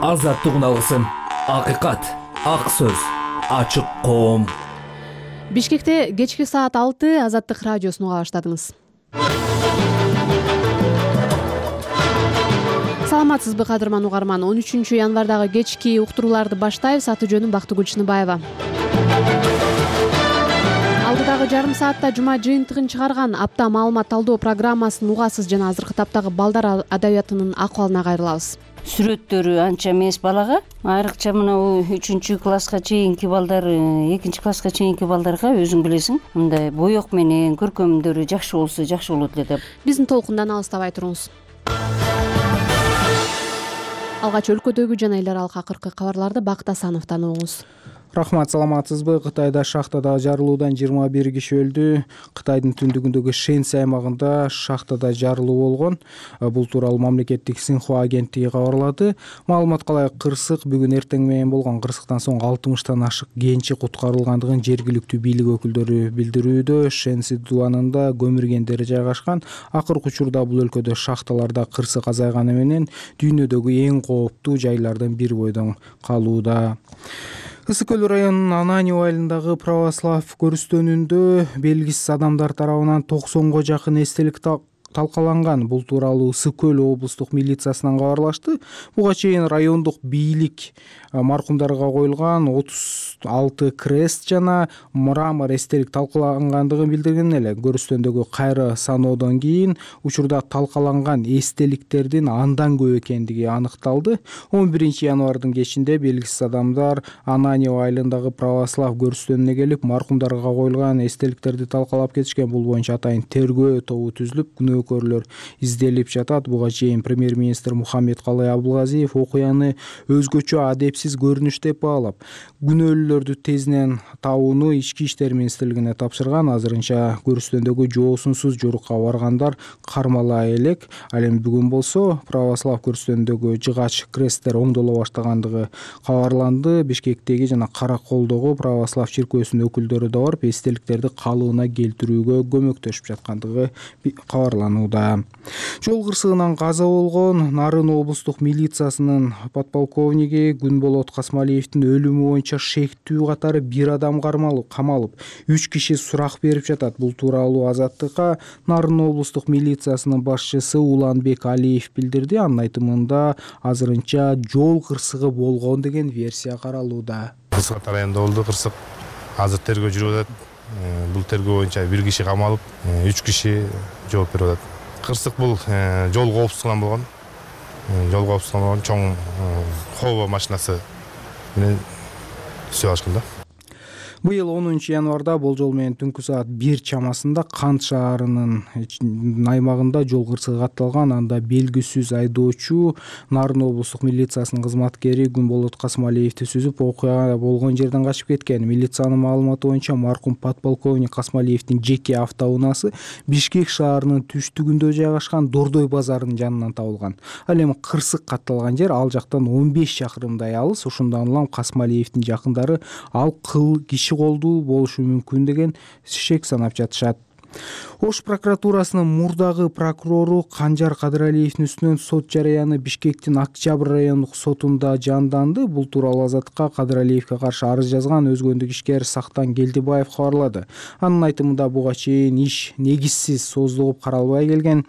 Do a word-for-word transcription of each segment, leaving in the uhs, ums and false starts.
азаттык уналысын, акыйкат, ак сөз, ачык коом. Бишкекте кечки саат алты Азаттык радиосун уга баштадыңыз. Саламатсызбы кадырман угарман? он үчүнчү январдагы кечки уктурууларды баштайбыз. Аты жөнүм Бактыгүл Чыныбаева. Алдыдагы жарым саатта жума жыйынтыгын чыгарган апта маалымат талдоо программасын угасыз жана азыркы таптагы балдар адабиятынын акыбалына кайрылабыз. Сүрөттөрү анча эмес балага, айрыкча мына үчүнчү класска чейинки балдар, экинчи класска чейинки балдарга өзүң билесиң, мындай боек менен көркөмдөрү жакшы болсо жакшы болот эле деп. Биздин толкундан алыстабай туруңуз. Алгач өлкөдөгү жана эл аралык акыркы кабарларды Бакыт Асановдон угуңуз. Рахмат, саламатсызбы? Кытайда шахтада жарылуудан жыйырма бир киши өлдү. Кытайдын түндүгүндөгү Шэньси аймагында шахтада жарылуу болгон. Бул тууралуу мамлекеттик Синьхуа агенттиги кабарлады. Маалыматка ылайык, кырсык бүгүн эртең менен болгон. Кырсыктан соң алтымыштан ашык кенчи куткарылгандыгын жергиликтүү бийлик өкүлдөрү билдирүүдө. Шэньси дубанында көмүргендер жайгашкан. Акыркы учурда бул өлкөдө шахталарда кырсык азайганы менен дүйнөдөгү эң кооптуу жайлардын бири бойдон калууда. Ысык көл районунун Ананьо айылындагы православ көрүстөнүндө белгисиз адамдар тарабынан токсонго жакын эстелик талкаланган. Бул тууралуу Ысык көл облустук милициясынан кабарлашты. Буга чейин райондук бийлик маркумдарга коюлган отуз алты крест жана мрамор эстелик талкалангандыгын билдирген эле. Көрүстөндөгү кайры саноодон кийин учурда талкаланган эстеликтердин андан көп экендиги аныкталды. он биринчи январдын кечинде белгисиз адамдар Ананьо айылындагы православ көрүстөнүнө келип, маркумдарга коюлган эстеликтерди талкалап кетишкен. Бул боюнча атайын тергөө тобу түзүлүп, күнөөкөрлөр изделип жатат. Буга чейин премьер-министр Мухаммедкалый Абылгазиев окуяны өзгөчө адепсиз көрүнүш деп баалап, күнөөлүүлөрдү тезинен табууну Ички иштер министрлигине тапшырган. Азырынча көрүстөндөгү жоосунсуз жорукка баргандар кармала элек. Ал эми бүгүн болсо православ көрүстөнүндөгү жыгач кресттер оңдоло баштагандыгы кабарланды. Бишкектеги жана Караколдогу православ чиркөөсүнүн өкүлдөрү да барып, эстеликтерди калыбына келтирүүгө көмөктөшүп жаткандыгы кабарланууда. Жол кырсыгынан каза болгон Нарын облустук милициясынын подполковниги Күнболот Касмалиевдин өлүмү боюнча шектүү катары бир адам камалып, үч киши сурак берип жатат. Бул тууралуу Азаттыкка Нарын облустук милициясынын башчысы Уланбек Алиев билдирди. Анын айтымында азырынча жол кырсыгы болгон деген версия каралууда. Кырсык районунда болду кырсык. Азыр тергөө жүрүп атат. Бул тергөө боюнча бир киши камалып, үч киши жооп берип атат. Кырсык бул жол коопсуздугунан болгон. Жол коопсуздугунан болгон чоң хова машинасы менен түсүп алышкан да. Быйыл онунчу январда болжол менен түнкү саат бир чамасында Кант шаарынын аймагында жол кырсыгы катталган. Анда белгисиз айдоочу Нарын облустук милициясынын кызматкери Күнболот Касмалиевди сүзүп, окуя болгон жерден качып кеткен. Милициянын маалыматы боюнча маркум подполковник Касмалиевдин жеке автоунаасы Бишкек шаарынын түштүгүндө жайгашкан Дордой базарынын жанынан табылган. Ал эми кырсык катталган жер ал жактан он беш чакырымдай алыс. Ошондон улам Касмалиевдин жакындары ал кыл киши колдуу болушу мүмкүн деген шек санап жатышат. Ош прокуратурасынын мурдагы прокурору Канжар Кадыралиевдин үстүнөн сот жарыяны Бишкектин Октябрь райондук сотунда жанданды. Бул тууралуу Азаттыкка Кадыралиевге каршы арыз жазган өзгөндүк ишкер Сактан Келдибаев кабарлады. Анын айтымында буга чейин иш негизсиз создугуп каралбай келген.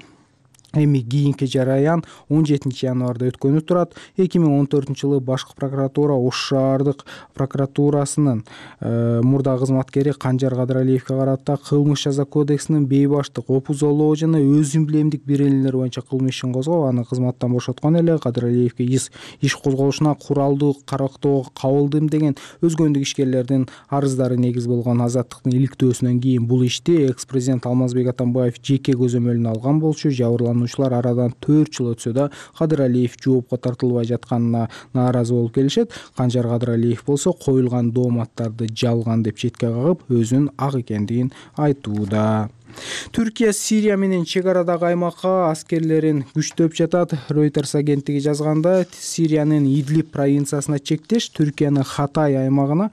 Эми кийинки жараян он жетинчи январда өткөнү турат. эки миң он төртүнчү жылы башкы прокуратура Ош шаардык прокуратурасынын э, мурда кызматкери Канжар Кадыралиевге карата кылмыш жаза кодексинин бейбаштык, опузолоо жана өз эмблемдик беренелер боюнча кылмыш ишин козгоп, аны кызматтан бошоткон эле. Кадыралиевге иш иш козголушуна куралдуу карактоого кабылдым деген өзгөндүк ишкерлердин арыздары негиз болгон. Азаттыктын иликтөөсүнөн кийин бул ишти экс-президент Алмазбек Атамбаев жеке көзөмөлүнө алган болчу. Жабырлануучулар арадан төрт жыл өтсө да Кадыралиев жоопко тартылбай жатканына нааразы болуп келишет. Канжар Кадыралиев болсо коюлган дооматтарды жалган деп четке кагып, өзүнүн ак экендигин айтууда. Түркия Сирия менен чек арадагы аймакка аскерлерин күчтөп жатат. Reuters агенттиги жазганда, Сириянын Идлиб провинциясына чектеш Түркиянын Хатай аймагына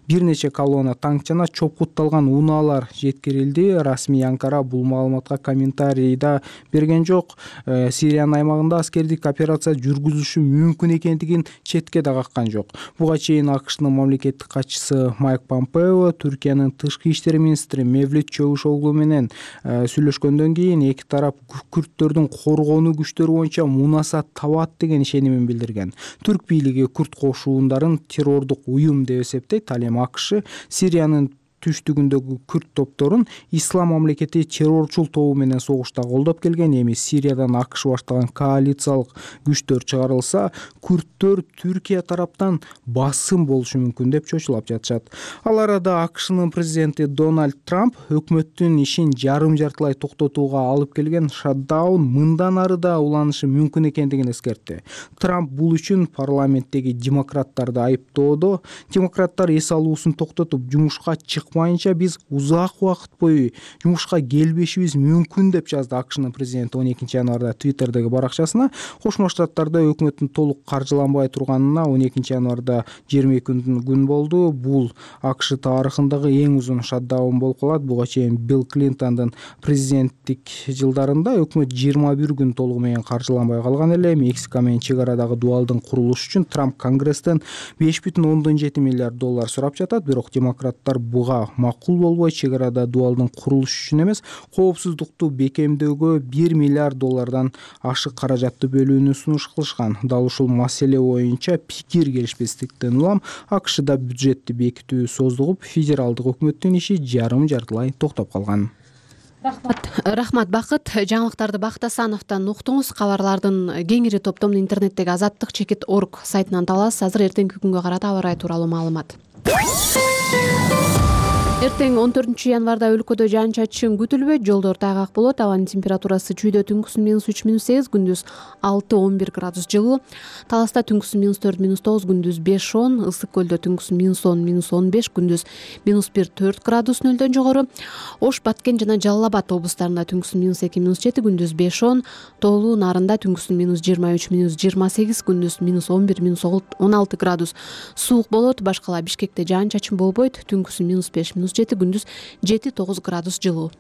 бир нече колонна танк жана чопкутталган унаалар жеткирилди. Расмий Анкара бул маалыматка комментарий да берген жок. Сириянын аймагында аскердик операция жүргүзүлүшү мүмкүн экендигин четке да каккан жок. Буга чейин АКШнын мамлекеттик катчысы Майк Помпео Түркиянын тышкы иштер министри Мевлют Чавушоглу менен сүйлөшкөндөн кийин эки тарап күрттөрдүн коргонуу күчтөрү боюнча мунасат табат деген ишенимин билдирген. Түрк бийлиги күрт кошуундарын террордук уюм деп эсептейт. Ал эми АКШ Сириянын түштүгүндөгү күрт топторун ислам мамлекети террорчул тобу менен согушта колдоп келген. Эми Сириядан АКШ баштаган коалициялык күчтөр чыгарылса, күрттөр Түркия тараптан басым болушу мүмкүн деп чочулап жатышат. Ал арада АКШнын президенти Дональд Трамп өкмөттүн ишин жарым жартылай токтотууга алып келген шатдаун мындан ары да уланышы мүмкүн экендигин эскертти. Трамп бул үчүн парламенттеги демократтарды айыптоодо, демократтар эс алуусун токтотуп жумушка чыкмайынча биз узак убакыт бою жумушка келбешибиз мүмкүн деп жазды АКШнын президенти он экинчи январда Твиттердеги баракчасына. Кошмо Штаттарда өкмөттүн толук каржыланбай турганына он экинчи январда жыйырма эки күн болду. Бул АКШ тарыхындагы эң узун шатдаун болуп калат. Буга чейин Билл Клинтондун президенттик жылдарында өкмөт жыйырма бир күн толугу менен каржыланбай калган эле. Мексика менен чек арадагы дубалдын курулушу үчүн Трамп Конгресстен беш бүтүн ондон жети миллиард доллар сурап жатат. Бирок демократтар буга макул болбой, чек арада дубалдын курулушу үчүн эмес, коопсуздукту бекемдөөгө бир миллиард доллардан ашык каражатты бөлүүнү сунуш кылышкан. Дал ушул маселе боюнча пикир келишпестиктен улам АКШда бюджетти бекитүү создугуп, федералдык өкмөттүн иши жарым жартылай токтоп калган. Рахмат, рахмат Бакыт. Жаңылыктарды Бакыт Асановдон уктуңуз. Кабарлардын кеңири топтомун интернеттеги азаттык чекит орг сайтынан табасыз. Азыр эртеңки күнгө карата аба ырайы тууралуу маалымат. Эртең он төртүнчү январда өлкөдө жаан-чачын күтүлбөйт, жолдор тайгак болот. Абанын температурасы чүйдө түнкүсүн минус үч минус сегиз, күндүз алты он бир градус жылуу. Таласта түнкүсүн минус төрт минус тогуз, күндүз беш он, Ысык көлдө түнкүсүн минус он минус он беш, күндүз минус бир төрт градус нөлдөн жогору. Ош, Баткен жана Жалал Абад облустарында түнкүсүн минус эки минус жети, күндүз беш он, Тоолуу, Нарында түнкүсүн минус жыйырма үч минус жыйырма сегиз, күндүз минус он бир минус он алты градус суук болот. Башкала Бишкекте жаан-чачын болбойт, түнкүсүн минус беш минус жети, күндүз жети тогуз градус жылуу.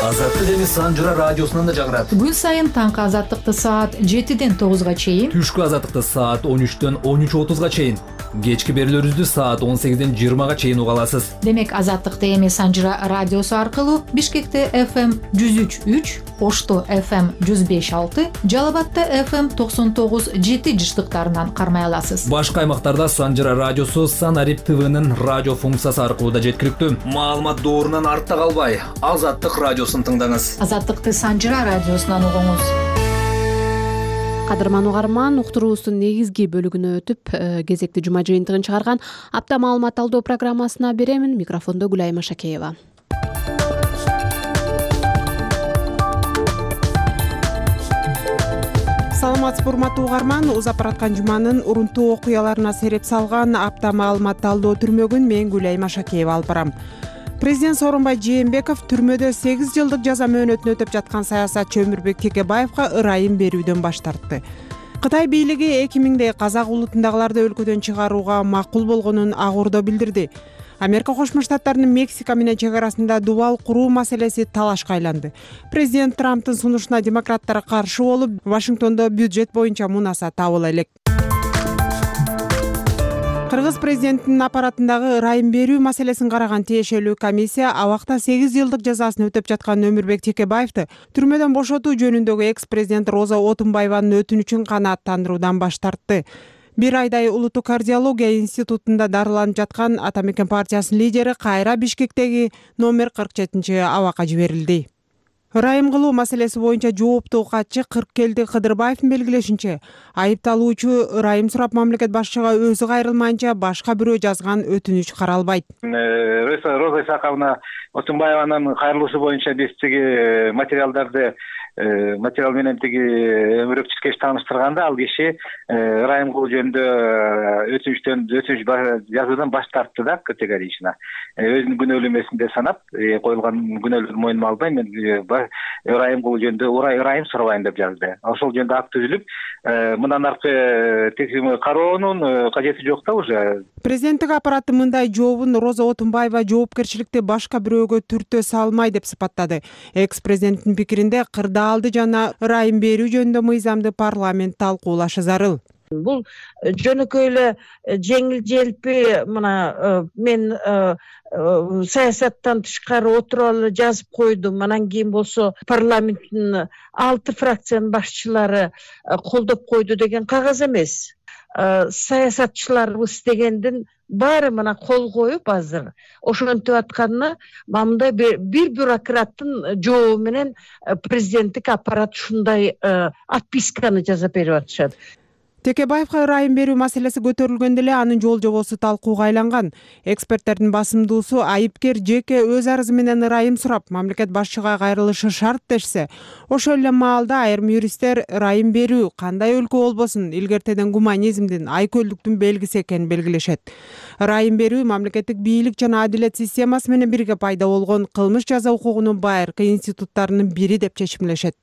Азаттык эми Санжыра радиосунан да жагырат. Күн сайын таңкы азаттыкты саат жетиден тогузга чейин, Түшкү азаттыкты саат он үчтөн он үч отузга чейин, кечки берүүлөрүбүздү саат он сегизден жыйырмага чейин уга аласыз. Демек азаттыкты эми Санжыра радиосу аркылуу Бишкекте эф эм жүз үч үч, Ошто эф эм жүз беш алты, Жалал Абадта эф эм токсон тогуз жети жыштыктарынан кармай аласыз. Башка аймактарда Санжыра радиосу Санарип ТВнын радио функциясы аркылуу да жеткиликтүү. Маалымат доорунан артта калбай, Азаттык радиосун тыңдаңыз. Азаттыкты Санжыра радиосунан угуңуз. Кадырман угарман, уктуруубуздун негизги бөлүгүнө өтүп, кезекти жума жыйынтыгын чыгарган апта маалымат талдоо программасына беремин. Микрофондо Гүлайма Шакеева. Саламатсызбы урматтуу угарман, узап бараткан жуманын урунтуу окуяларына сереп салган апта маалымат талдоо түрмөгүн мен Гүлайма Шакеева алып барам. Президент Сооронбай Жээнбеков түрмөдө сегиз жылдык жаза мөөнөтүн өтөп жаткан саясатчы Өмүрбек Текебаевга ырайым берүүдөн баш тартты. Кытай бийлиги эки миңдей казак улутундагыларды өлкөдөн чыгарууга макул болгонун ак ордо билдирди. Америка Кошмо Штаттарынын Мексика менен чек арасында дубал куруу маселеси талашка айланды. Президент Трамптын сунушуна демократтар каршы болуп, Вашингтондо бюджет боюнча мунаса табыла элек. Кыргыз президентинин аппаратындагы ырайым берүү маселесин караган тиешелүү комиссия абакта сегиз жылдык жазасын өтөп жаткан Өмүрбек Текебаевди түрмөдөн бошотуу жөнүндөгү экс-президент Роза Отунбаеванын өтүнүчүн канааттандыруудан баш тартты. Бир айдай улуттук кардиология институтунда дарыланып жаткан Ата Мекен партиясынын лидери кайра Бишкектеги номер кырк жетинчи абакка жиберилди. ырайым кылуу маселеси боюнча жооптуу катчы Кыркелди Кыдырбаевдин белгилешинче, айыпталуучу ырайым сурап мамлекет башчыга өзү кайрылмайынча башка бирөө жазган өтүнүч каралбайт. Роза Исаковна Отунбаеванын кайрылуусу боюнча биз тиги материалдарды материал менен тиги өмүрөкчүлүккө тааныштырганда ал киши ырайым кылуу жөнүндө өтүнүчтөн өтүнүч жазуудан баш тартты да, категорично. Өзүнүн күнөөлүү эмесин санап, коюлган күнөөлөрдү мойнума албай, мен ырайым кылуу жөнүндө ырайым сурабайм деп жазды. Ошол жөнүндө акт түзүлүп, мындан аркы текшерүү кароонун кажети жок да уже. Президенттик аппараты мындай жообун Роза Отунбаева жоопкерчиликти башка бирөөгө түртө салмай деп сыпаттады. Экс-президенттин пикиринде кырдаалды жана ырайым берүү жөнүндө мыйзамды парламент талкуулашы зарыл. Бул жөнөкөй эле жеңил желпи, мына мен саясаттан тышкары отуруп эле жазып койдум. Анан кийин болсо парламенттин алты фракциянын башчылары колдоп койду деген кагаз эмес. Саясатчыларыбыз дегендин баары мына кол коюп азыр ошентип атканына мындай бир бюрократтын жообу менен президенттик аппарат ушундай отписканы жасап берип атышат. Текебаевга ырайым берүү маселеси көтөрүлгөндө эле анын жол жобосу талкууга айланган. Эксперттердин басымдуусу айыпкер жеке өз арызы менен ырайым сурап, мамлекет башчыга кайрылышы шарт дешсе, ошол эле маалда айрым юристтер ырайым берүү кандай өлкө болбосун илгертеден гуманизмдин, айкөлдүктүн белгиси экенин белгилешет. Ырайым берүү мамлекеттик бийлик жана адилет системасы менен бирге пайда болгон кылмыш жаза укугунун байыркы институттарынын бири деп чечимлешет.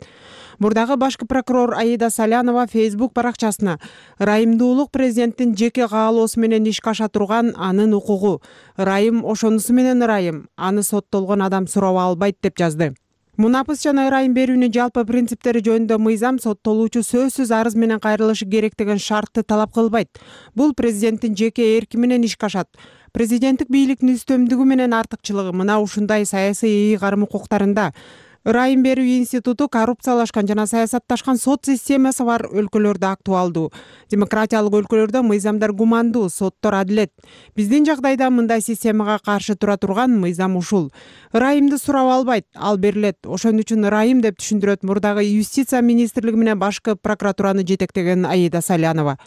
Мурдагы башкы прокурор Аида Салянова Facebook баракчасына ырайымдуулук президенттин жеке каалоосу менен ишке аша турган анын укугу. Ырайым ошонусу менен ырайым, аны соттолгон адам сураба албайт деп жазды. Мунапыс жана ырайым берүүнүн жалпы принциптери жөнүндө мыйзам соттолуучу сөзсүз арыз менен кайрылышы керек деген шартты талап кылбайт. Бул президенттин жеке эрки менен ишке ашат. Президенттик бийликтин үстөмдүгү менен артыкчылыгы мына ушундай саясий ыйгарым укуктарында. Ырайым берүү институту коррупциялашкан жана саясатташкан сот системасы бар өлкөлөрдө актуалдуу. Демократиялык өлкөлөрдө мыйзамдар гумандуу, соттор адилет. Биздин жагдайда мындай системага каршы тура турган мыйзам ушул. Ырайымды сурап албайт, ал берилет. Ошон үчүн ырайым деп түшүндүрөт мурдагы юстиция министрлиги менен башкы прокуратураны жетектеген Аида Салянова.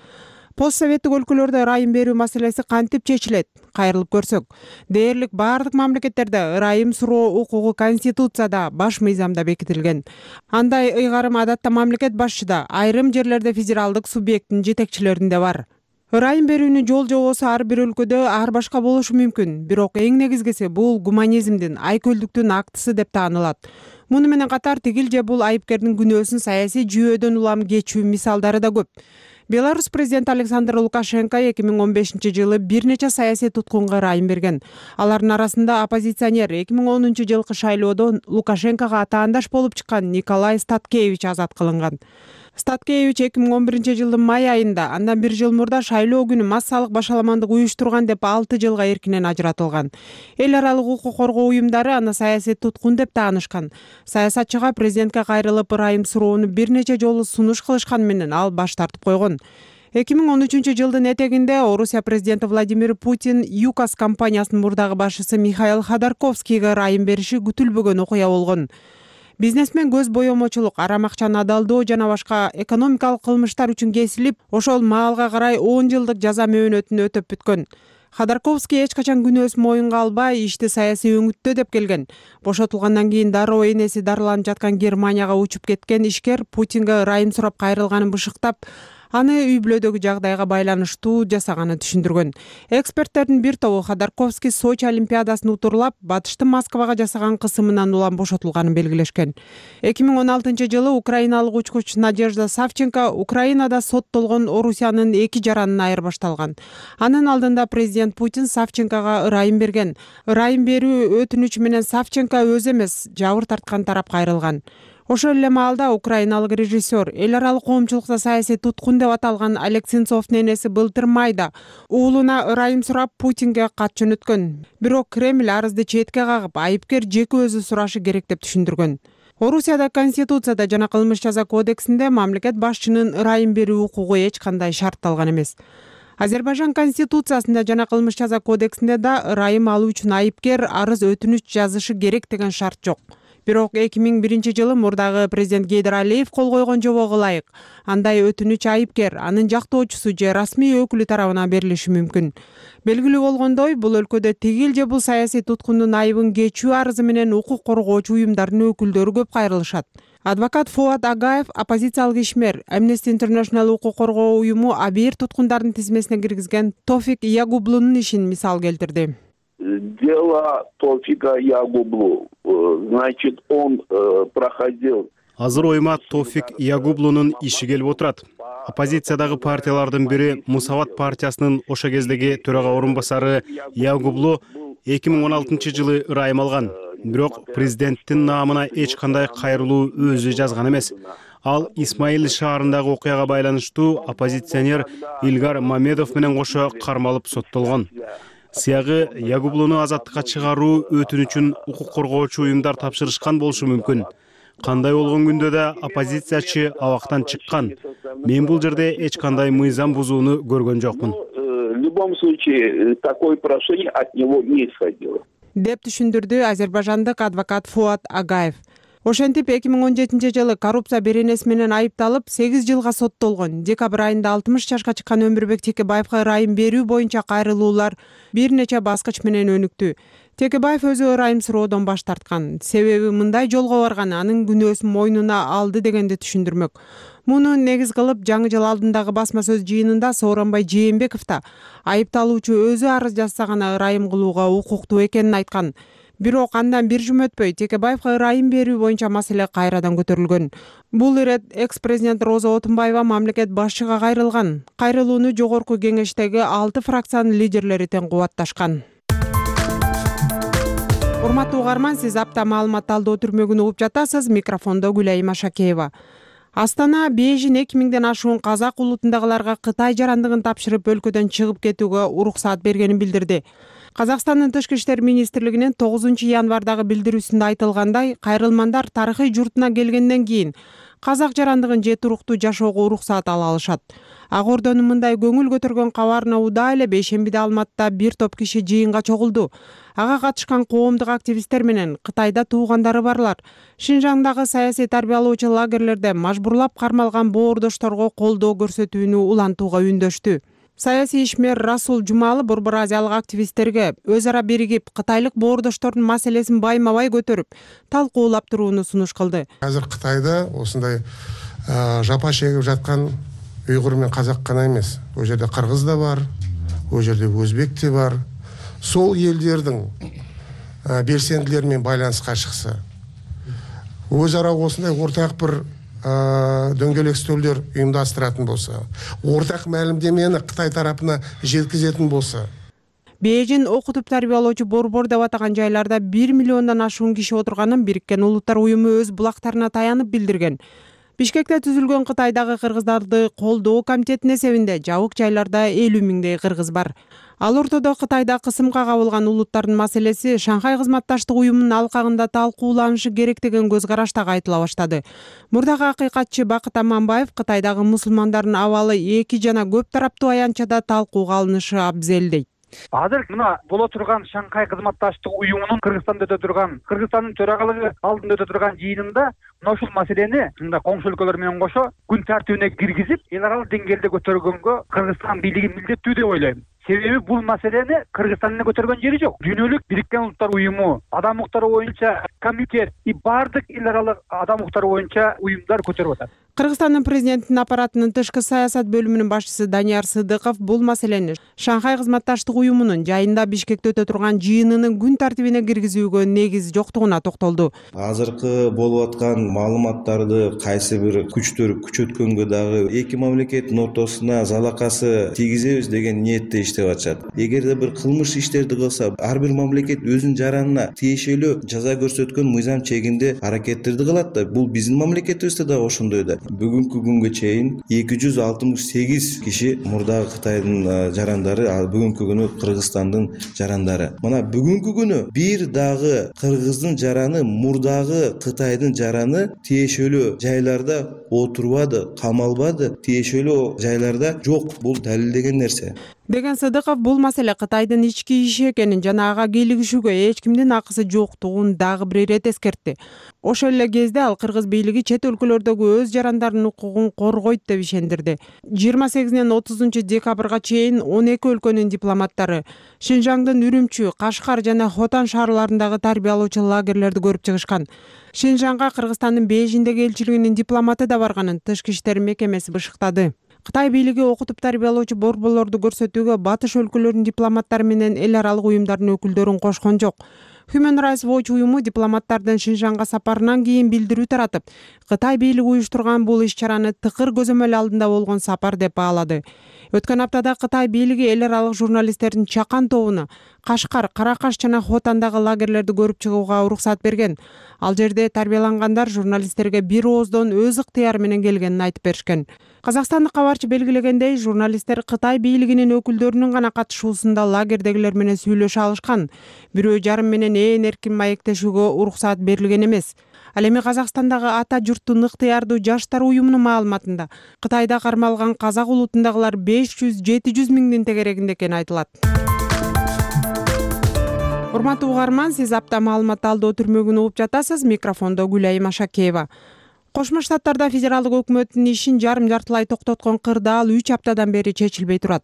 Постсоветтик өлкөлөрдө ырайым берүү маселеси кантип чечилет? Кайрылып көрсөк, дээрлик баардык мамлекеттерде ырайым суроо укугу конституцияда, баш мыйзамда бекитилген. Андай ыйгарым адатта мамлекет башчыда, айрым жерлерде федералдык субъекттин жетекчилеринде бар. Ырайым берүүнүн жол жобосу ар бир өлкөдө ар башка болушу мүмкүн, бирок эң негизгиси бул гуманизмдин, айкөлдүктүн актысы деп таанылат. Муну менен катар тигил же бул айыпкердин күнөөсүн саясий жүйөөдөн улам кечүү мисалдары да көп. Беларусь президенти Александр Лукашенко эки миң он бешинчи жылы бир нече саясий туткунга ырайым берген. Алардын арасында оппозиционер эки миң онунчу жылкы шайлоодо Лукашенкого атаандаш болуп чыккан Николай Статкевич азат кылынган. Статкевич эки миң он биринчи жылдын май айында, андан бир жыл мурда шайлоо күнү массалык башаламандык уюштурган деп алты жылга эркинен ажыратылган. Эл аралык укук коргоо уюмдары аны саясий туткун деп таанышкан. Саясатчыга президентке кайрылып ырайым суроону бир нече жолу сунуш кылышкан менен ал баш тартып койгон. эки миң он үчүнчү жылдын этегинде Орусия президенти Владимир Путин ЮКОС компаниясынын мурдагы башчысы Михаил Ходорковскийге ырайым бериши күтүлбөгөн окуя болгон. Бизнесмен көз боемочулук, арам акчаны адалдоо жана башка экономикалык кылмыштар үчүн кесилип, ошол маалга карай он жылдык жаза мөөнөтүн өтөп бүткөн. Ходорковский эч качан күнөөсүн моюнга албай, ишти саясий өңүттө деп келген. Бошотулгандан кийин дароо энеси дарыланып жаткан Германияга учуп кеткен ишкер Путинге ырайым сурап кайрылганын бышыктап, аны үй бүлөдөгү жагдайга байланыштуу жасаганын түшүндүргөн. Эксперттердин бир тобу Ходорковский Сочи олимпиадасын утурлап, батыштын Москвага жасаган кысымынан улам бошотулганын белгилешкен. эки миң он алтынчы жылы украиналык учкуч Надежда Савченко Украинада соттолгон Орусиянын эки жаранын айырбашталган. Анын алдында президент Путин Савченкого ырайым берген. Ырайым берүү өтүнүчү менен Савченко өзү эмес, жабыр тарткан тарап кайрылган. Ошол эле маалда украиналык режиссер, эл аралык коомчулукта саясий туткун деп аталган Олег Сенцовдун энеси былтыр майда уулуна ырайым сурап Путинге кат жөнөткөн. Бирок Кремль арызды четке кагып, айыпкер жеке өзү сурашы керек деп түшүндүргөн. Орусияда конституцияда жана кылмыш жаза кодексинде мамлекет башчынын ырайым берүү укугу эч кандай шартталган эмес. Азербайжан конституциясында жана кылмыш жаза кодексинде да ырайым алуу үчүн айыпкер арыз өтүнүч жазышы керек деген шарт жок. Бирок эки миң биринчи жылы мурдагы президент Гейдар Алиев кол койгон жобого ылайык андай өтүнүч айыпкер, анын жактоочусу же расмий өкүлү тарабынан берилиши мүмкүн. Белгилүү болгондой, бул өлкөдө тигил же бул саясий туткундун айыбын кечүү арызы менен укук коргоочу уюмдардын өкүлдөрү көп кайрылышат. Адвокат Фуат Агаев, оппозициялык ишмер, Amnesty International укук коргоо уюму абийир туткундардын тизмесине киргизген Тофик Ягублунун ишин мисал келтирди. Дело Тофика Ягублу, значит, он проходил. Азыр ойма Тофик Ягублунун иши келип отурат. Оппозициядагы партиялардын бири Мусават партиясынын ошо кездеги төрага орун басары Ягублу эки миң он алтынчы жылы ырайым алган. Бирок президенттин наамына эч кандай кайрылуу өзү жазган эмес. Ал Исмаил шаарындагы окуяга байланыштуу оппозиционер Илгар Мамедов менен кошо кармалып соттолгон. Сыягы Ягублуну азаттыкка чыгаруу өтүнүчүн укук коргоочу уюмдар тапшырышкан болушу мүмкүн. Кандай болгон күндө да оппозициячы абактан чыккан. Мен бул жерде эч кандай мыйзам бузууну көргөн жокмун. В любом случае, такое прошение от него не исходило. Деп түшүндүрдү азербайжандык адвокат Фуат Агаев. Ошентип эки миң он жетинчи жылы коррупция беренеси менен айыпталып сегиз жылга соттолгон. Декабрь айында алтымыш жашка чыккан Өмүрбек Текебаевга ырайым берүү боюнча кайрылуулар бир нече баскыч менен өнүктү. Текебаев өзү ырайым суроодон баш тарткан. Себеби мындай жолго барган анын күнөөсүн мойнуна алды дегенди түшүндүрмөк. Муну негиз кылып жаңы жыл алдындагы басма сөз жыйынында Сооронбай Жээнбеков да айыпталуучу өзү арыз жазса гана ырайым кылууга укуктуу экенин айткан. Бирок андан бир жум өтпөй Текебаевга ырайым берүү боюнча маселе кайрадан көтөрүлгөн. Бул ирет экс-президент Роза Отунбаева мамлекет башчыга кайрылган. Кайрылууну жогорку кеңештеги алты фракциянын лидерлери тең кубатташкан. Урматтуу угарман, сиз апта маалымат талдоо түрмөгүн угуп жатасыз. Микрофондо Гүлайым Машакеева. Астана Бейжин эки миңден ашуун казак улутундагыларга Кытай жарандыгын тапшырып өлкөдөн чыгып кетүүгө уруксаат бергенин билдирди. Казакстандын Тышкы иштер министрлигинин тогузунчу январдагы билдирүүсүндө айтылгандай, кайрылмандар тарыхый журтуна келгенден кийин казак жарандыгын же туруктуу жашоого уруксаат ала алышат. Ак Ордонун мындай көңүл көтөргөн кабарына удаа эле бейшембиде Алматта бир топ киши жыйынга чогулду. Ага катышкан коомдук активисттер менен Кытайда туугандары барлар Шинжаңдагы саясий тарбиялоочу лагерлерде мажбурлап кармалган боордошторго колдоо көрсөтүүнү улантууга үндөштү. Саясий ишмер Расул Жумалы Борбор Азиялык активисттерге өз ара биригип Кытайлык боордоштордун маселесин байма-бай көтөрүп, талкуулап турууну сунуш кылды. Азыр Кытайда осундай жапа чегип жаткан уйгур менен казак гана эмес, ол жерде кыргыз да бар, ол жерде өзбек те бар. Сол элдердин белсендилери менен байланыска чыкса, өз ара осундай ортак бир дөңгөлөк стөлдөр уюмдаштыратын болса, ортак маалымдемени Кытай тарапына жеткизетін болса. Бейжин окутуп тарбиялоочу борбор деп атаган жайларда бир миллиондон ашуун киши отурганын Бириккен Улуттар уюму өз булактарына таянып билдирген. Бишкекте түзүлгөн Кытайдагы кыргыздарды колдоо комитетинин эсебинде жабык жайларда элүү миңдей кыргыз бар. Ал ортодо Кытайда кысымга кабылган улуттардын маселеси Шанхай кызматташтык уюмунун алкагында талкууланышы керек деген көз караш дагы айтыла баштады. Мурдагы акыйкатчы Бакыт Аманбаев Кытайдагы мусулмандардын абалы эки жана көп тараптуу аянтчада талкууга алынышы абзел дейт. Азыр мына боло турган Шанхай кызматташтык уюмунун Кыргызстанда өтө турган, Кыргызстандын төрагалыгы алдында өтө турган жыйынында мына ушул маселени мында коңшу өлкөлөр менен кошо күн тартибине киргизип, эл аралык деңгээлде көтөргөнгө Кыргызстан бийлиги милдеттүү деп ойлойм. Себеби бул маселени Кыргызстан эле көтөргөн жери жок. Дүйнөлүк Бириккен Улуттар уюму, адам укуктары боюнча комитет и бардык эл аралык адам укуктары боюнча уюмдар көтөрүп атат. Кыргызстандын президентинин аппаратынын тышкы саясат бөлүмүнүн башчысы Данияр Сыдыков бул маселени Шанхай кызматташтык уюмунун жайында Бишкекте өтө турган жыйынынын күн тартибине киргизүүгө негиз жоктугуна токтолду. Азыркы болуп аткан маалыматтарды кайсы бир күчтөр күчөткөнгө дагы эки мамлекеттин ортосуна залакасы тийгизебиз деген ниетте иштеп атышат. Эгерде бир кылмыш иштерди кылса, ар бир мамлекет өзүнүн жаранына тиешелүү жаза көрсөткөн мыйзам чегинде аракеттерди кылат да. Бул биздин мамлекетибизде да ошондой да. бүгүнкү күнгө чейин эки жүз алтымыш сегиз киши мурдагы Кытайдын жарандары, ал бүгүнкү күнү Кыргызстандын жарандары. Мына бүгүнкү күнү бир дагы кыргыздын жараны мурдагы Кытайдын жараны тиешелүү жайларда отурбады, камалбады, тиешелүү жайларда жок. Бул далилдеген нерсе деген Сыдыков бул маселе Кытайдын ички иши экенин жана ага кийлигишүүгө эч кимдин акысы жоктугун дагы бир ирет эскертти. Ошол эле кезде ал кыргыз бийлиги чет өлкөлөрдөгү өз жарандарынын укугун коргойт деп ишендирди. жыйырма сегизинен отузунчу декабрга чейин он эки өлкөнүн дипломаттары Шинжаңдын Үрүмчү, Кашкар жана Хотан шаарларындагы тарбиялоочу лагерлерди көрүп чыгышкан. Шинжаңга Кыргызстандын Бейжиңдеги элчилигинин дипломаты да барганын Тышкы иштер мекемеси бышыктады. Кытай бийлиги окутуп тарбиялоочу борборлорду көрсөтүүгө батыш өлкөлөрүнүн дипломаттары менен эл аралык уюмдардын өкүлдөрүн кошкон жок. Human Rights Watch уюму дипломаттардын Шинжаңга сапарынан кийин билдирүү таратып, Кытай бийлиги уюштурган бул иш-чараны тыкыр көзөмөл алдында болгон сапар деп баалады. Өткөн аптада Кытай бийлиги эл аралык журналисттердин чакан тобуна Кашкар, Каракаш жана Хотандагы лагерлерди көрүп чыгууга уруксат берген. Ал жерде тарбиялангандар журналисттерге бир ооздон өз ыктыяры менен келгенин айтып беришкен. Казакстандык кабарчы белгилегендей, журналисттер Кытай бийлигинин өкүлдөрүнүн гана катышуусунда лагердегилер менен сүйлөшө алышкан. Бирөө жарым менен ээн эркин маектешүүгө уруксат берилген эмес. Ал эми Казакстандагы ата журттун ыктыярдуу жаштар уюмунун маалыматында Кытайда кармалган казак улутундагылар беш жүз жети жүз миңдин тегерегинде экени айтылат. Урматтуу угарман, сиз апта маалымат алдоо түрмөгүн угуп жатасыз. Микрофондо Гүлайым Ашакеева. Кошмо Штаттарда федералдык өкмөттүн ишин жарым жартылай токтоткон кырдаал үч аптадан бери чечилбей турат.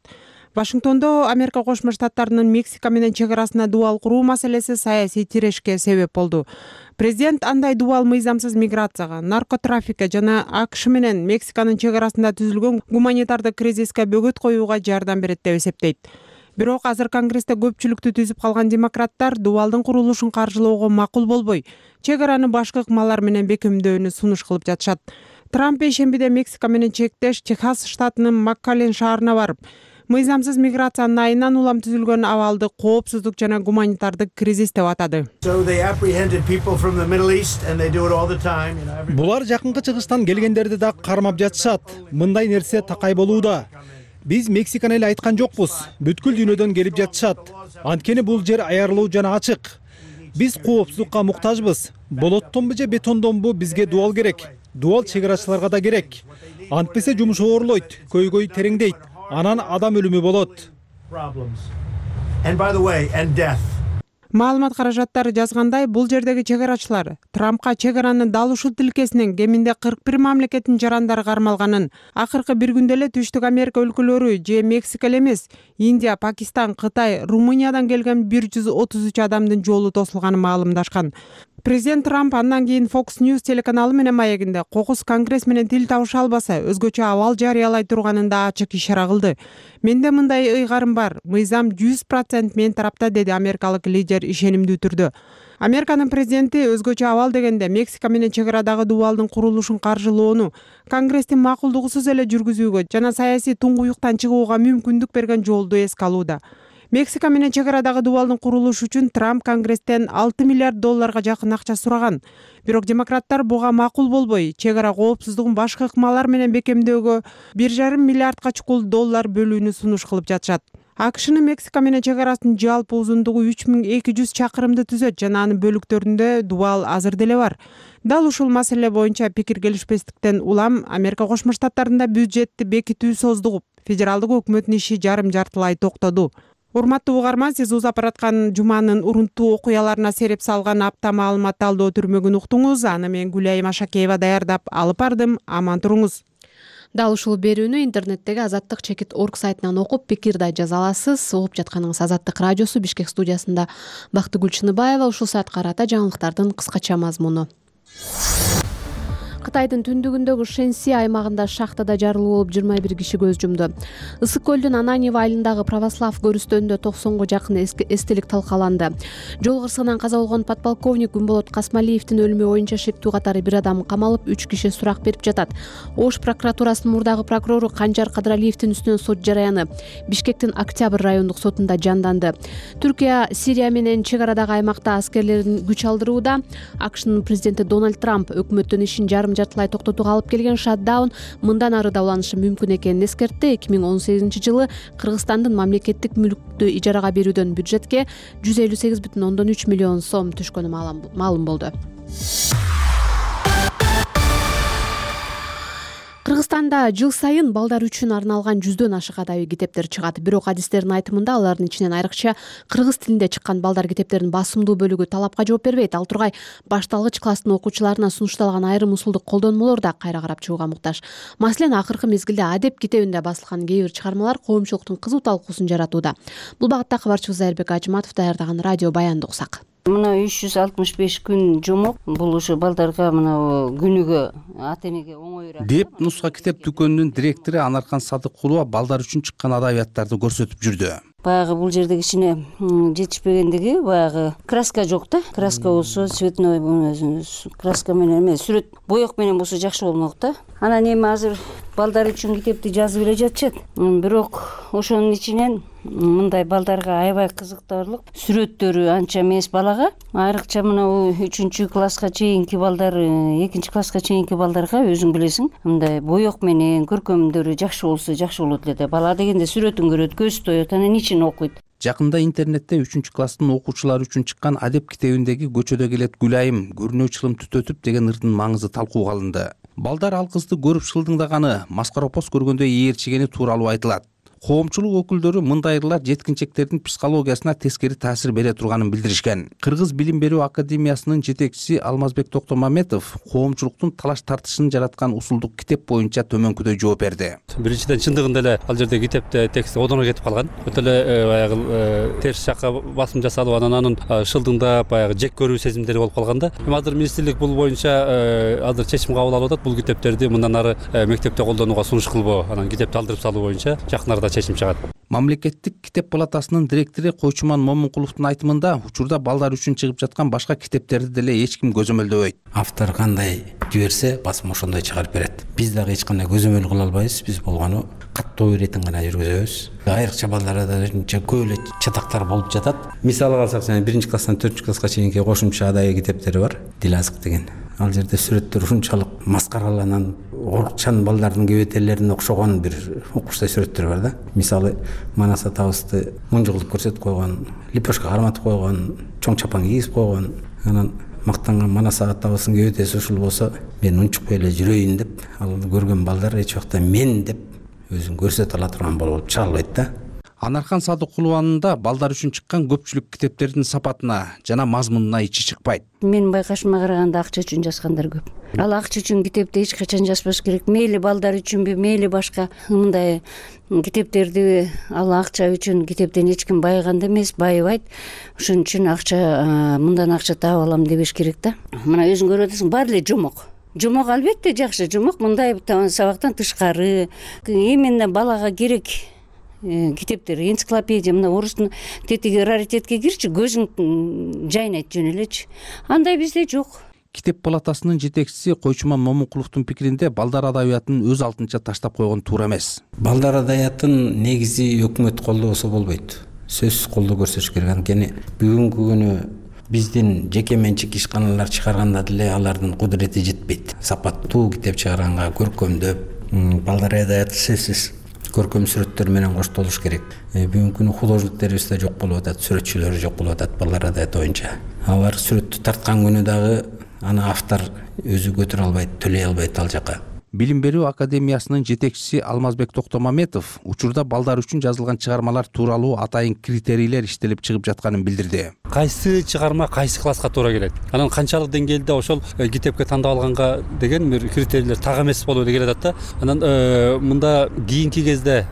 Вашингтондо Америка Кошмо Штаттарынын Мексика менен чек арасына дубал куруу маселеси саясий тирешке себеп болду. Президент андай дубал мыйзамсыз миграцияга, наркотрафикке жана АКШ менен Мексиканын чек арасында түзүлгөн гуманитардык кризиске бөгөт коюуга жардам берет деп эсептейт. Бирок азыр Конгрессте көпчүлүктү түзүп калган демократтар дубалдын курулушун каржылоого макул болбой, чек араны башка ыкмалар менен бекемдөөнү сунуш кылып жатышат. Трамп ишембиде Мексика менен чектеш Техас штатынын Маккален шаарына барып, мыйзамсыз миграциянын айынан улам түзүлгөн абалды коопсуздук жана гуманитардык кризис деп атады. Булар жакынкы чыгыштан келгендерди да кармап жатышат. Мындай нерсе такай болууда. Биз Мексиканы эле айткан жокпуз. Бүткүл дүйнөдөн келип жатышат. Анткени бул жер аярлуу жана ачык. Биз коопсуздукка муктажбыз. Болоттонбу же бетондонбу бизге дубал керек. Дубал чек арачыларга да керек. Антпесе жумуш оорлойт, көйгөй тереңдейт. Анан адам өлүмү болот. Маалымат каражаттары жазгандай, бул жердеги чек арачылар Трампка чек аранын дал ушул тилкесинен кеминде кырк бир мамлекеттин жарандары кармалганын, акыркы бир күндө эле Түштүк Америка өлкөлөрү же Мексика эле эмес, Индия, Пакистан, Кытай, Румыниядан келген бир жүз отуз үч адамдын жолу тосулганын маалымдашкан. Президент Трамп андан кийин Fox News телеканалы менен маегинде кокус Конгресс менен тил табыша албаса, өзгөчө абал жарыялай турганын да ачык ишара кылды. Менде мындай ыйгарым бар, мыйзам жүз процент мен тарапта, деди америкалык лидер ишенимдүү түрдө. Американын президенти өзгөчө абал дегенде Мексика менен чек арадагы дубалдын курулушун каржылоону Конгресстин макулдугусуз эле жүргүзүүгө жана саясий туңгуюктан чыгууга мүмкүндүк берген жолду эске алууда. Мексика менен чек арадагы дубалдын курулушу үчүн Трамп Конгресстен алты миллиард долларга жакын акча сураган. Бирок демократтар буга макул болбой, чек ара коопсуздугун башка ыкмалар менен бекемдөөгө бир жарым миллиардка чукул доллар бөлүүнү сунуш кылып жатышат. АКШнын Мексика менен чек арасынын жалпы узундугу үч миң эки жүз чакырымды түзөт жана анын бөлүктөрүндө дубал азыр деле бар. Дал ушул маселе боюнча пикир келишпестиктен улам Америка Кошмо Штаттарында бюджетти бекитүү создугуп, федералдык өкмөттүн иши жарым жартылай токтоду. Урматтуу угарман, сиз узап бараткан жуманын урунттуу окуяларына сереп салган апта маалымат алдоо түрмөгүн уктуңуз. Аны мен Гүлайым Ашакеева даярдап алып бардым. Аман туруңуз. Дал ушул берүүнү интернеттеги азаттык чекит орг сайтынан окуп, пикир да жаза аласыз. Угуп жатканыңыз Азаттык радиосу, Бишкек студиясында Бактыгүл Чыныбаева. Ушул саатка карата жаңылыктардын кыскача мазмуну. Кытайдын түндүгүндөгү Шэньси аймагында шахтада жарылуу болуп жыйырма бир киши көз жумду. Ысык көлдүн Ананьево айылындагы Православ көрүстөнүндө токсонго жакын эстелик талкаланды. Жол кырсыгынан каза болгон подполковник Күнболот Касмалиевдин өлүмү боюнча шектүү катары бир адам камалып, үч киши сурак берип жатат. Ош прокуратурасынын мурдагы прокурору Канжар Кадыралиевдин үстүнөн сот жараяны Бишкектин Октябрь райондук сотунда жанданды. Түркия Сирия менен чек арадагы аймакта аскерлерин күч алдырууда. АКШнын президенти Дональд Трамп өкмөттүн ишин жарым жарым жартылай токтотууга алып келген шатдаун мындан ары да уланышы мүмкүн экенин эскертти. эки миң он сегизинчи жылы Кыргызстандын мамлекеттик мүлктү ижарага берүүдөн бюджетке жүз элүү сегиз бүтүн ондон үч миллион сом түшкөнү маалым болду. Кыргызстанда жыл сайын балдар үчүн арналган жүздөн ашык адабий китептер чыгат. Бирок адистердин айтымында алардын ичинен айрыкча кыргыз тилинде чыккан балдар китептеринин басымдуу бөлүгү талапка жооп бербейт. Ал тургай башталгыч класстын окуучуларына сунушталган айрым усулдук колдонмолор да кайра карап чыгууга муктаж. Маселен, акыркы мезгилде адеп китебинде басылган кээ бир чыгармалар коомчулуктун кызуу талкуусун жаратууда. Бул багытта кабарчыбыз Айырбек Ажыматов даярдаган радио баянды уксак. Мына үч жүз алтымыш беш күн жомок, бул ушу балдарга мына күнүгө ата энеге оңоюраак деп нуска китеп дүкөнүнүн директору Анаркан Садыккулова балдар үчүн чыккан адабияттарды көрсөтүп жүрдү. Баягы бул жерде кичине жетишпегендиги, баягы краска жок да. Краска болсо цветной краска менен эмес, сүрөт боек менен болсо жакшы болмок да. Анан эми азыр балдар үчүн китепти жазып эле жатышат. Бирок ошонун ичинен мындай балдарга аябай кызыктарлык сүрөттөрү анча эмес балага. Айрыкча мына үчүнчү класска чейинки балдар, экинчи класска чейинки балдарга өзүң билесиң, мындай боек менен көркөмдөрү жакшы болсо жакшы болот эле да. Бала дегенде сүрөтүн көрөт, көз тоет, анан ичин окуйт. Жакында интернетте үчүнчү класстын окуучулары үчүн чыккан адеп китебиндеги көчөдө келет Гүлайым, көрүнөө чылым түтөтүп деген ырдын маңызы талкууга алынды. Балдар ал кызды көрүп шылдыңдаганы, маскаропоз көргөндөй ээрчигени тууралуу айтылат. Коомчулук өкүлдөрү мындай ырлар жеткинчектердин психологиясына тескери таасир бере турганын билдиришкен. Кыргыз билим берүү академиясынын жетекчиси Алмазбек Токтомаметов коомчулуктун талаш тартышын жараткан усулдук китеп боюнча төмөнкүдөй жооп берди. Биринчиден, чындыгында эле ал жерде китепте текст одоно кетип калган. Өтө эле баягы терс жакка басым жасалып, анан анын шылдыңдап баягы жек көрүү сезимдери болуп калган да. Эми азыр министрлик бул боюнча азыр чечим кабыл алып атат. Бул китептерди мындан ары мектепте колдонууга сунуш кылбоо, анан китепти алдырып салуу боюнча жакын арада чечим чыгат. Мамлекеттик китеп палатасынын директору Койчуман Момункуловдун айтымында, учурда балдар үчүн чыгып жаткан башка китептерди деле эч ким көзөмөлдөбөйт. Автор кандай жиберсе, басым ошондой чыгарып берет. Биз дагы эч кандай көзөмөл кыла албайбыз. Биз болгону каттоо иретин гана жүргүзөбүз. Айрыкча балдарда көп эле чатактар болуп жатат. Мисалы алсак, жана биринчи класстан төртүнчү класска чейинки кошумча адабий китептери бар. Дил азык деген. Ал жерде сүрөттөр ушунчалык маскараланан, орукчан балдардын кебетелерине окшогон бир укучтай сүрөттөр бар да. Мисалы, Манас атабызды мунжу кылып көрсөтүп койгон, лепешка карматып койгон, чоң чапан кийгизип койгон. Анан мактанган Манас атабыздын кебетеси ушул болсо, мен унчукпай эле жүрөйүн деп, ал көргөн балдар эч убакта мен деп өзүн көрсөтө ала турган болуп чыга албайт да. Анаркан Садыккулованын да балдар үчүн чыккан көпчүлүк китептердин сапатына жана мазмунуна ичи чыкпайт. Менин байкашыма караганда акча үчүн жазгандар көп. Ал акча үчүн китепти эч качан жазбаш керек. Мейли балдар үчүнбү, мейли башка мындай китептерди ал акча үчүн китептен эч ким байыганда эмес, байыбайт. Ошон үчүн акча мындан акча таап алам дебеш керек да. Мына өзүң көрүп атасың, баары эле жомок. Жомок албетте жакшы, жомок мындай сабактан тышкары. Именно балага керек китептер, энциклопедия, мына орустун тетиги раритетке кирчи, көзүң жайнайт жөн элечи. Андай бизде жок. Китеп палатасынын жетекчиси Койчуман Момункуловдун пикиринде балдар адабиятын өз алтынча таштап койгон туура эмес. Балдар адабиятын негизи өкмөт колдобосо болбойт. Сөзсүз колдоо көрсөтүш керек. Анткени бүгүнкү күнү биздин жеке менчик ишканалар чыгарганда деле алардын кудурети жетпейт. Сапаттуу китеп чыгарганга көркөмдөп, балдар адабияты сөзсүз көркөм сүрөттөр менен коштолуш керек. Бүгүнкү күнү художниктерибиз да жок болуп атат, сүрөтчүлөр жок болуп атат балдар адабияты боюнча. Алар сүрөттү тарткан күнү дагы аны автор өзү көтөрө албайт, төлөй албайт ал жака. Билим берүү академиясынын жетекчиси Алмазбек Токтомаметов учурда балдар үчүн жазылган чыгармалар тууралуу атайын критерийлер иштелип чыгып жатканын билдирди. Кайсы чыгарма кайсы класска туура келет, анан канчалык деңгээлде ошол китепке тандап алганга деген бир критерийлер так эмес болуп эле келатат да. Анан мында кийинки кезде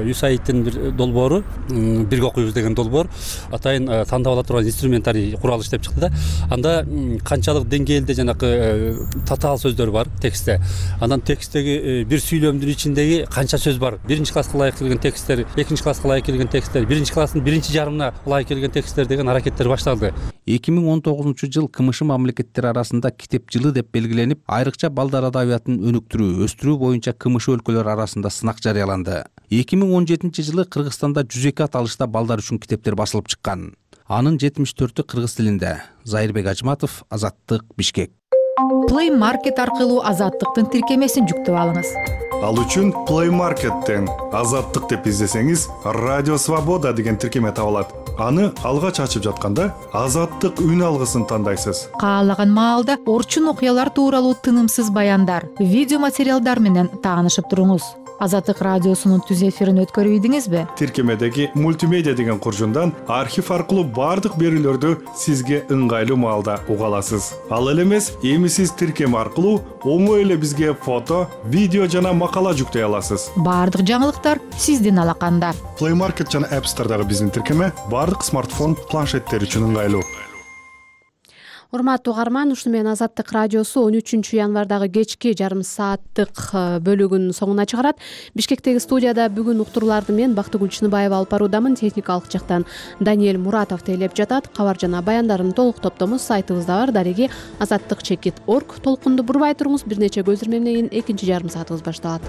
ЮСАИДтин бир долбоору, бирге окуйбуз деген долбоор атайын тандап ала турган инструментарий курал иштеп чыкты да. Анда канчалык деңгээлде жанакы татаал сөздөр бар текстте. Анан тексттеги бир сүйлөмдүн ичиндеги канча сөз бар, биринчи класска ылайык келген тексттер, экинчи класска ылайык келген тексттер, биринчи класстын биринчи жарымына ылайык келген тексттер деген аракеттер башталды. эки миң он тогузунчу жыл КМШ мамлекеттери арасында китеп жылы деп белгиленип, айрыкча балдар адабиятын өнүктүрүү, өстүрүү боюнча КМШ өлкөлөр арасында сынак жарыяланды. эки миң он жетинчи жылы Кыргызстанда жүз эки аталышта балдар үчүн китептер басылып чыккан. Анын жетимиш төртү кыргыз тилинде. Айырбек Ажыматов, Азаттык, Бишкек. Play Market аркылуу Азаттыктын тиркемесин жүктөп алыңыз. Ал үчүн Play Market'тен Азаттык деп издесеңиз, Радио Свобода деген тиркеме табылат. Аны алгач ачып жатканда Азаттык үн алгысын тандайсыз. Каалаган маалда орчун окуялар тууралуу тынымсыз баяндар, видео материалдар менен таанышып туруңуз. Азаттык радиосунун түз эфирин өткөрүп ийдиңизби? Тиркемедеги мультимедиа деген куржундан архив аркылуу бардык берүүлөрдү сизге ыңгайлуу маалда уга аласыз. Ал эле эмес, эми сиз тиркеме аркылуу оңой эле бизге фото, видео жана макала жүктөй аласыз. Бардык жаңылыктар сиздин алаканда. Play Market жана App Store'дагы биздин тиркеме бардык смартфон, планшеттер үчүн ыңгайлуу. Урматтуу угарман, ушуну менен Азаттык радиосу он үчүнчү январдагы кечки жарым сааттык бөлүгүнүн соңуна чыгарат. Бишкектеги студияда бүгүн уктурууларды мен Бактыгүл Чыныбаева алып баруудамын. Техникалык жактан Даниэль Муратов тейлеп жатат. Кабар жана баяндардын толук топтому сайтыбызда бар. Дареги азаттык чекит точка орг. Толкунду бурбай туруңуз. Бир нече көзүрмөмдөн кийин экинчи жарым саатыбыз башталат.